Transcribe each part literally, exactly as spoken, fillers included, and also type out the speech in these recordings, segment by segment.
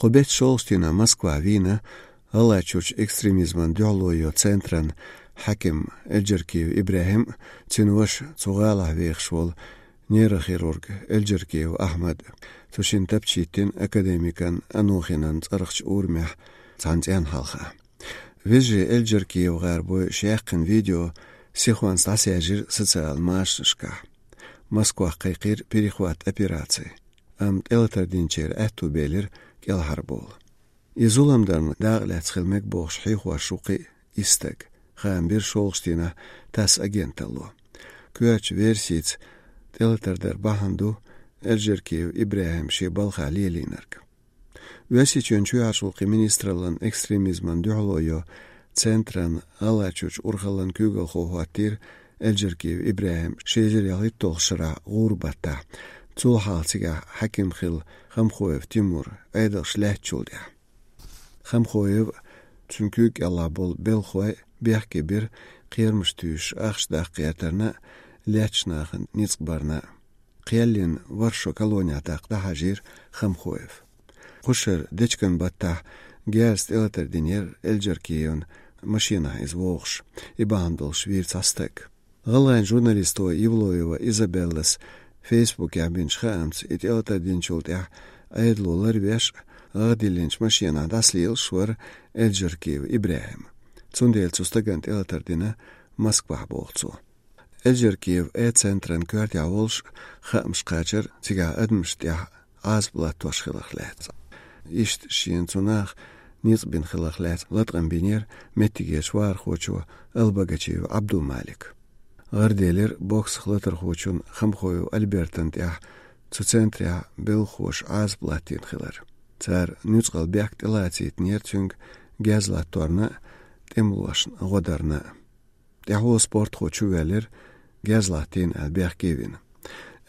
Кху беттан шолгӀачу дийнахь Москвахь вийна ГӀалгӀайчуьрчу экстремизман дуьхьало йо центран хьаькам Эльджаркиев ИбрахӀим, цуьнан ваша, цу гӀалахь вехаш волу нейрохирург Эльджаркиев Ахьмад. Цу шинна тапча хӀиттина академикан Анохинан цӀарахчу урамехь цхьана цӀенна хьалха. Вежарий Эльджаркиев гӀарабой шаьккхина видео сихонца дӀасаьржира социал машанашкахь. Москвахь кхайкхийра перехват операци, амма тӀелатар динчеран аьтту белира кӀелхьарбовла. И зулам дарна дакъа лаьцна хила мега бохуш хьехош ву кхин а исс стаг, хаам бира шолгӀачу дийнахь ТАСС агенталло. Коьртачу версица, тӀелатар дар бахьана ду Эльджаркиев ИбрахӀима шен балхахь лелийнарг. Оьрсийчоьнан чоьхьарчу гӀуллакхийн министраллан экстремизман дуьхьало йо центран ГӀалгӀайчуьрчу урхаллан куьйгалхо хӀоттийра Эльджаркиев ИбрахӀим ши эзар ялхитталгӀачу шарахь гӀуран баттахь. Цул хьалха цигахь хьаькам хилла Хамхоев Тимур Ӏедалша лаьттачул тӀаьхьа. Хамхоев а, цуьнан куьйга кӀелахь болу белхалой а бехке бира кхерамаш туьйсуш ахча даккха гӀертарна а, лаьттачу нахана ницкъ барна а. Кхел йина ворхӀ шо колонехь даккха дӀахьажийра Хамхоев. Кху шарахь дечкен баттахь герзаца тӀелатар динера Эльджаркиевна, машенахь иза вогӀуш, и бахьана долуш вийра цхьа стаг. ГӀалгӀайн журналисто Евлоева Изабеллас Фейсбукехь бинчу хаамца, и тӀелатар динчул тӀаьхьа Ӏедало ларвеш а, гӀагӀ диллинчу машенахь дӀасалелаш вара Эльджаркиев ИбрахӀим. Цундела цу стагана тӀелатар дина Москвахь, боху цо. Эльджаркиев Э-центран коьртехь волуш хаамаш кхачара цигахь адамашна тӀехь Ӏазап латтош хиларх лаьцна. Иштта шена цу наха ницкъ бина хиларх лаьцна латкъам бинера меттигерчу вахархочо Албогачиев Ӏабдулмалика. ГӀараделира боксах латархочун Хамхоев Альбертан тӀехь цу центрехь белхахоша Ӏазап латтийна хилар. Цара нуьцкъала бехк тӀелацийтинера цуьнга герз латторна а, тӀемалошна гӀо дарна а. ТӀаьхьо спортхо чувоьллира, герз латтийна аьлла бехке а вина.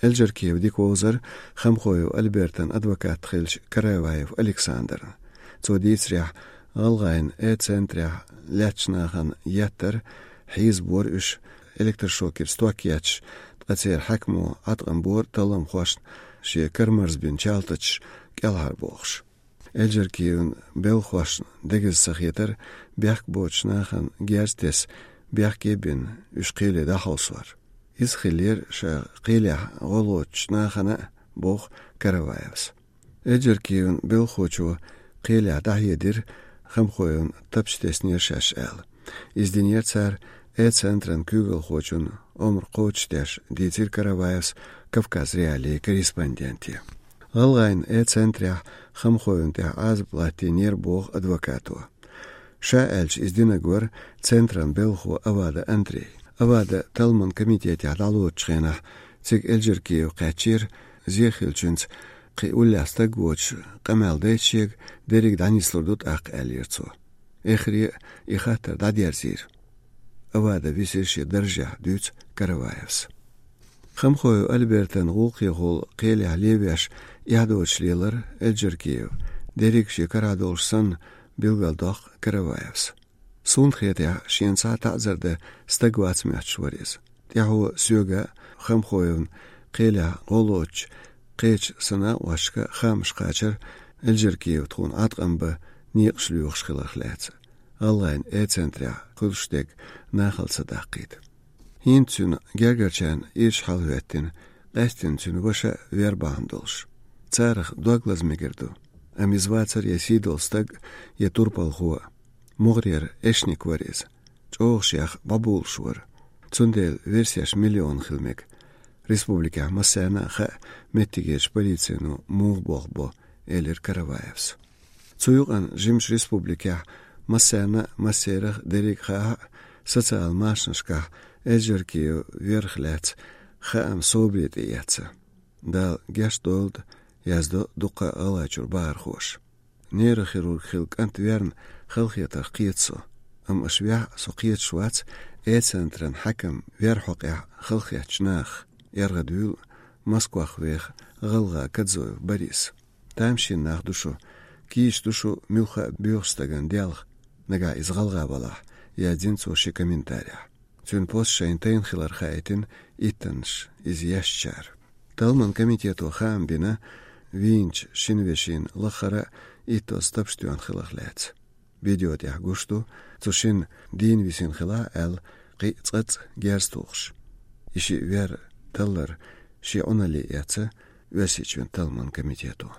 Эльджаркиев дика вовзара Хамхоев Альбертан адвокат хиллачу Караваев Александрна. Цо дийцарехь, гӀалгӀайн Э-центрехь лаьттачу нахана еттара, хьийзабора уьш, электрошокерца ток етташ, ткъа церан хьаькамо Ӏаткъам бора талламхошна шен карамарзбина чалтачаш кӀелхьарбохуш. Эльджаркиевн белхахошна дегаза ца хетара бехк боцучу нахана герз тесна, бехке а бина, уьш кхеле дӀахьовсор. Иза хиллера ша кхелехь гӀо лоцучу нахана а, боху Караваевс. Эльджаркиевн белхахочо кхелехь дӀахьедира, Хамхоевна тапча теснера шаьш аьлла. Иза динера цара Э-центран куьйгалхочун омра кхочушдеш, дийцира Караваевс Кавказ.Реалии корреспонденте. ГӀалгӀайн Э-центрехь Хамхоевна тӀехь Ӏазап латтийнера, боху адвокато. Ша аьлча, иза динарг вара центран белхахо Авада Андрей. Авада талламан комитетехь дӀалоцучу хенахь цига Эльджаркиев кхаьчнера, зен хиллачуьнца кхин уллехь стаг воцуш къамел дайта шега, дерриг дӀанислур ду тӀаккха, аьллера цо. Эххар а и хаттар дӀадерзийра. Авада висира шен даржехь, дуьйцу Караваевс. Хамхоев Альбертан гӀуллакхехула кхелехь левеш эхь доцуш лелара Эльджаркиев, дерриг шен карахь долуш санна, билгалдоккху Караваевс. Суна хетарехь, шена цхьа а таӀзар дан стаг вац моьттуш вара иза. ТӀаьхьо соьга а, Хамхоевна кхелехь гӀо лоцучу кхечу санаотташка хаамаш кхачара, Эльджаркиев тхуна Ӏаткъам бан некъаш лоьхуш хиларх лаьцна, гӀалгӀайн Э-центрехь хуьлуш дерг нахала ца даккхийта. ХӀинца цуьнан гергарчарна ирча хьалахӀоьттина, къаьсттина цуьнан ваша а вер бахьана долуш. Царах дог лаза мегар ду, амма иза вацара я сийдолу стаг, я турпалхо. МогӀарера эшник вара иза. ЧӀогӀа шех бӀобулуш вара. Цундела версеш миллион хила мега. Республикехь массарна а хаьа меттигерчу полицино муха болх бо, элира Караваевс. Цу юкъана жимачу республикехь массарна а, массерах а дерриг а хаьа, социал машанашкахь Эльджаркиев верх лаьцна хаам собаре тӀеэцна. Дала гечдойла, яздо дуккха а ГӀалгӀайчуьра бахархоша. Нейрохирург хилла кӀант верна халахетарх кхета со. Амма аша вехь а, со кхеташ вац Э-центран хьаькам вер хьокъехь халахеттачу нахах, эргӀа дуьйла Москвах веха гӀалгӀа Кадзоев Борис. Тамашийна нах ду шу, кийча ду шу муьлхха а боьхачу стагана делха, нагахь иза гӀалгӀа валахь, яздина цо шен комментарехь. Цуьнан пост шайна тайна хилар хаийтина иттаннаш иза ешначара. Талламан комитето хаам бина, вийначу шина вешина лаххара а итт тоз тапаш тоьхна хиларх лаьцна. Видео тӀехь гуш ду, цу шина дийна висина хилар аьлла, кхин а цкъацкъа герз тухуш. И шиъ вер таллар шен Ӏуналле эцна Оьрсийчоьнан талламан комитето.